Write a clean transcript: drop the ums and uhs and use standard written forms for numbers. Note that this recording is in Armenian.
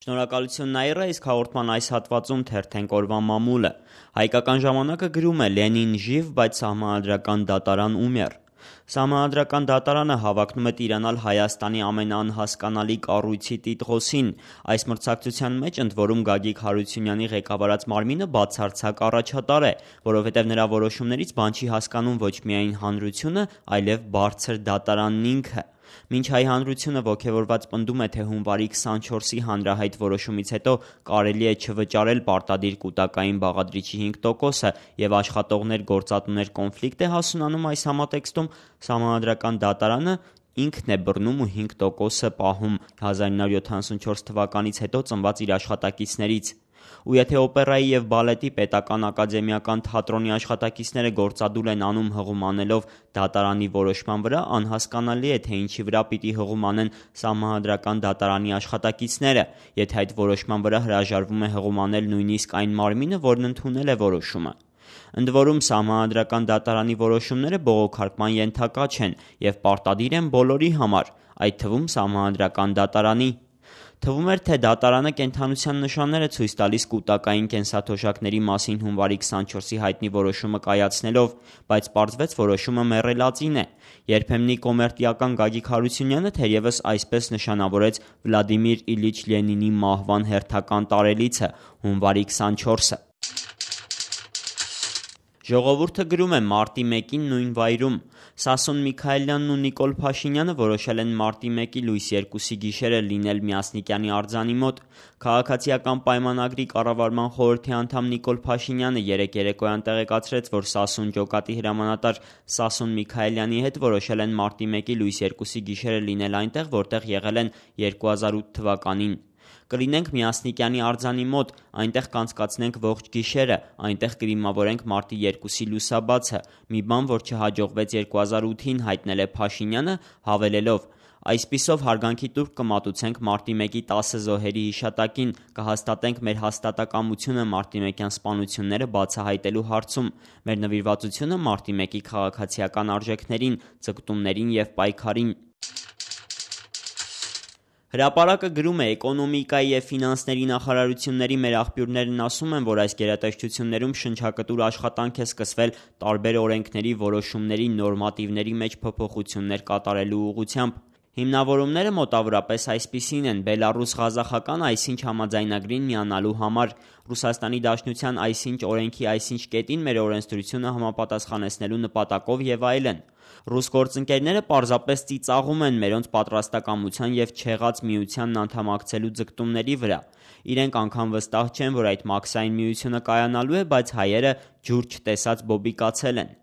Շնորհակալություն Նաիրա, իսկ հաղորդման այս հատվածում թերթենք օրվա մամուլը։ Հայկական ժամանակը գրում է Լենին ժիվ, բայց սահմանադրական դատարան умер։ Սահմանադրական դատարանը հավակնում է տիրանալ Հայաստանի ամենաանհասկանալի կառույցի տիտղոսին։ Այս մրցակցության մեջ ընդ որում Գագիկ Հարությունյանի ղեկավարած մարմինը բացարձակ առաջատար է, որովհետև նրա որոշումներից բան չի հասկանում ոչ միայն հանրությունը, այլև բարձր դատարանն ինքը։ Մինչ հայ հանրությունը ոգևորված պնդում է, թե հունվարի 24-ի հանրահայտ որոշումից հետո կարելի է չվճարել պարտադիր կուտակային բաղադրիչի 5%-ը եւ աշխատողներ գործատուներ կոնֆլիկտ է հասունանում այս համատեքստում, սահմանադրական դատարանը ինքն է բռնում ու 5%-ը պահում 1974 թվականից հետո ծնված իր աշխատակիցներից։ Ու եթե օպերայի և բալետի պետական ակադեմիական թատրոնի աշխատակիցները գործադուլ են անում հղում անելով դատարանի որոշման վրա, անհասկանալի է, թե ինչի վրա պիտի հղում անեն սահմանադրական դատարանի աշխատակիցները, եթե այդ որոշման վրա հրաժարվում է հղում անել նույնիսկ այն մարմինը, որն ընդունել է որոշումը։ Ընդ որում սահմանադրական դատարանի որոշումները բողոքարկման ենթակա չեն և պարտադիր են բոլորի համար, այդ թվում սահմանադրական դատարանի։ Թվում էր, թե դատարանը կենդանության նշաններ է ցույց տալիս կուտակային կենսաթոշակների մասին հունվարի 24-ի հայտնի որոշումը կայացնելով, բայց պարզվեց որոշումը մեռելածին է։ Երբեմնի կոմերտիական Գագիկ Հարությունյանը թերևս այսպես նշանավորեց Վլադիմիր Իլիչ Լենինի մահվան հերթական տարելիցը՝ հունվարի 24-ը։ Ժողովուրդը գրում է մարտի 1-ին նույն վայրում։ Սասուն Միքայելյանն ու Նիկոլ Փաշինյանը որոշել են մարտի 1-ի լույս 2-ի գիշերը լինել Մյասնիկյանի արձանի մոտ։ Քաղաքացիական պայմանագրի կառավարման խորհրդի անդամ Նիկոլ Փաշինյանը երեկ երեկոյան տեղեկացրեց, որ Սասուն ջոկատի հրամանատար Սասուն Միքայելյանի հետ որոշել են մարտի 1-ի լույս 2-ի գիշերը լինել այնտեղ, որտեղ եղել են 2008 թվականին։ Կլինենք Մյասնիկյանի արձանի մոտ, այնտեղ կանցկացնենք ողջ գիշերը, այնտեղ կդիմավորենք մարտի 2-ի լուսաբացը, մի բան, որ չհաջողվեց 2008-ին, հայտնել է Փաշինյանը, հավելելով. այսպիսով հարգանքի տուրք կմատուցենք մարտի 1-ի 10 զոհերի հիշատակին, կհաստատենք մեր հաստատակամությունը մարտի 1-յան սպանությունները բացահայտելու հարցում, մեր նվիրվածությունը մարտի 1-ի քաղաքացիական արժեքներին, ձգտումներին և պայքարին։ Հրապարակը գրում է Էկոնոմիկայի և ֆինանսների նախարարությունների մեր աղբյուրներն ասում են, որ այս գերատեսչություններում շնչակտուր աշխատանք է սկսվել տարբեր օրենքների, որոշումների, նորմատիվների մեջ փոփոխություններ կատարելու ուղղությամբ։ Հիմնավորումները մոտավորապես այսպիսին են՝ Բելառուս-Ղազախական այսինչ համաձայնագրին միանալու համար, Ռուսաստանի Դաշնության այսինչ օրենքի այսինչ կետին մեր օրենսդրությունը համապատասխանեցնելու նպատակով և այլն։ Ռուս գործընկերները պարզապես ծիծաղում են մերոնց պատրաստակամության և չեղած միությանն անդամակցելու ձգտումների վրա։ Իրենք անգամ վստահ չեն, որ այդ մաքսային միությունը կայանալու է, բայց հայերը ջուր չտեսած բոբիկացել են։